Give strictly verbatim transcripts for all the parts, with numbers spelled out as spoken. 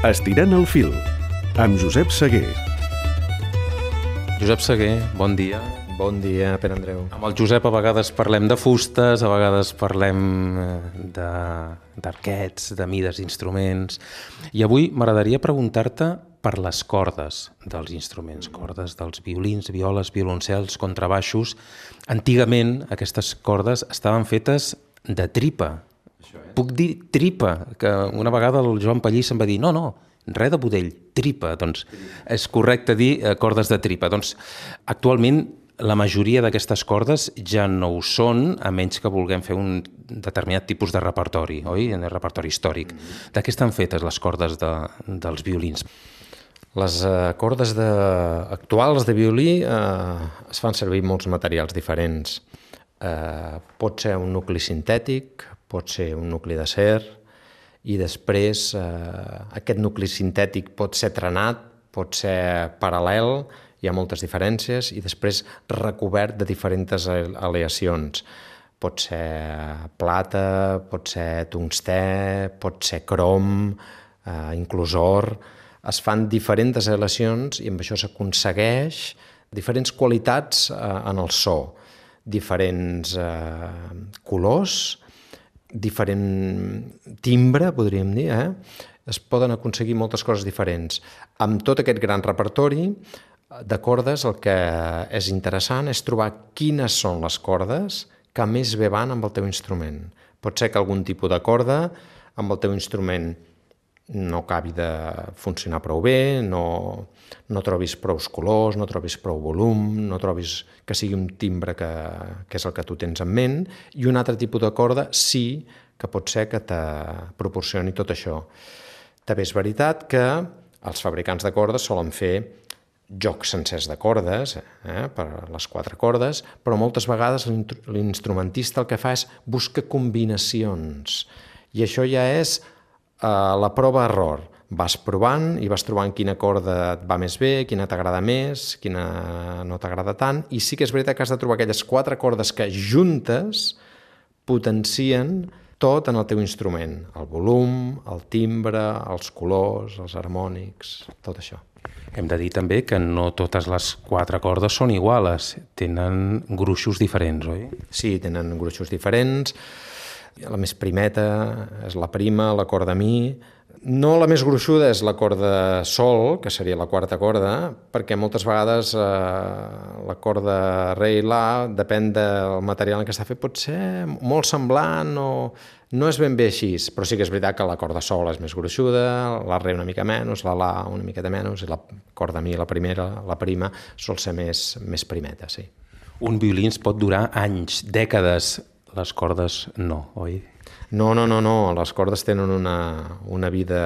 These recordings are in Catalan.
Estirant el fil, amb Josep Seguer. Josep Seguer, bon dia. Bon dia, Pere Andreu. Amb el Josep a vegades parlem de fustes, a vegades parlem de, d'arquets, de mides d'instruments. I avui m'agradaria preguntar-te per les cordes dels instruments, cordes dels violins, violes, violoncels, contrabaixos. Antigament aquestes cordes estaven fetes de tripa. Puc dir tripa, que una vegada el Joan Pallís em va dir no, no, res de budell, tripa. Doncs és correcte dir cordes de tripa. Doncs actualment la majoria d'aquestes cordes ja no ho són, a menys que vulguem fer un determinat tipus de repertori, oi? Un repertori històric. De què estan fetes les cordes de, dels violins? Les uh, cordes de, actuals de violí uh, es fan servir molts materials diferents. Uh, pot ser un nucli sintètic, pot ser un nucli d'acer, i després uh, aquest nucli sintètic pot ser trenat, pot ser paral·lel, hi ha moltes diferències, i després recobert de diferents aleacions. Pot ser plata, pot ser tungstè, pot ser crom, eh, inclús or. Es fan diferents aleacions i amb això s'aconsegueix diferents qualitats eh, en el so, diferents eh, colors, diferent timbre, podríem dir, eh? Es poden aconseguir moltes coses diferents. Amb tot aquest gran repertori de cordes, el que és interessant és trobar quines són les cordes que més bé van amb el teu instrument. Pot ser que algun tipus de corda amb el teu instrument no acabi de funcionar prou bé, no, no trobis prou colors, no trobis prou volum, no trobis que sigui un timbre que, que és el que tu tens en ment, i un altre tipus de corda sí que pot ser que te proporcioni tot això. També és veritat que els fabricants de cordes solen fer jocs sencers de cordes, eh, per les quatre cordes, però moltes vegades l'instrumentista el que fa és buscar combinacions, i això ja és eh, la prova-error. Vas provant i vas trobant quina corda et va més bé, quina t'agrada més, quina no t'agrada tant, i sí que és veritat que has de trobar aquelles quatre cordes que juntes potencien tot en el teu instrument, el volum, el timbre, els colors, els harmònics, tot això. Hem de dir també que no totes les quatre cordes són iguales, tenen gruixos diferents, oi? Sí, tenen gruixos diferents. La més primeta és la prima, la corda mi. No la més gruixuda és la corda sol, que seria la quarta corda, perquè moltes vegades eh, la corda re i la, depèn del material en què està fet, pot ser molt semblant o no és ben bé així, però sí que és veritat que la corda sol és més gruixuda, la re una mica menys, la la una miqueta menys, i la corda mi, la primera, la prima, sol ser més, més primeta, sí. Un violí ens pot durar anys, dècades, les cordes no, oi? No, no, no, no. Les cordes tenen una, una vida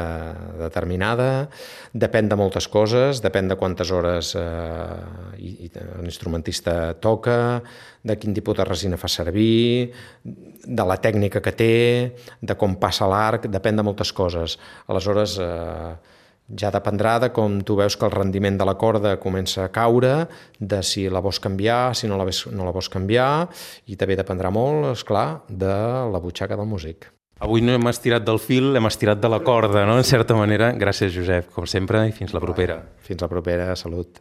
determinada, depèn de moltes coses, depèn de quantes hores eh, i, i l'instrumentista toca, de quin tipus de resina fa servir, de la tècnica que té, de com passa l'arc, depèn de moltes coses. Aleshores, eh, ja dependrà de com tu veus que el rendiment de la corda comença a caure, de si la vols canviar, si no la, ves, no la vols canviar, i també dependrà molt, esclar, de la butxaca del músic. Avui no hem estirat del fil, hem estirat de la corda, no? En certa manera. Gràcies, Josep, com sempre, i fins la propera. Fins la propera, salut.